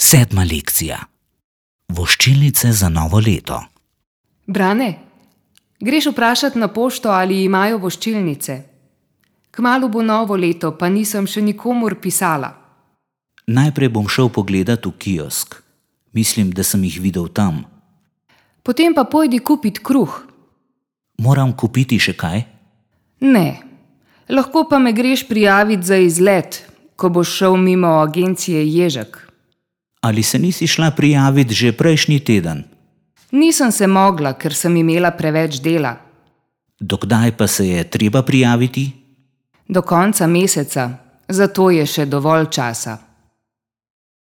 7. lekcija. Voščilnice za novo leto. Brane, greš vprašat na pošto, ali imajo voščilnice? Kmalu bo novo leto, pa nisem še nikomur pisala. Najprej bom šel pogledat v kiosk. Mislim, da sem jih videl tam. Potem pa pojdi kupit kruh. Moram kupiti še kaj? Ne, lahko pa me greš prijavit za izlet, ko boš šel mimo agencije Ježek. Ali se nisi šla prijavit že prejšnji teden? Nisem se mogla, ker sem imela preveč dela. Dokdaj pa se je treba prijaviti? Do konca meseca, zato je še dovolj časa.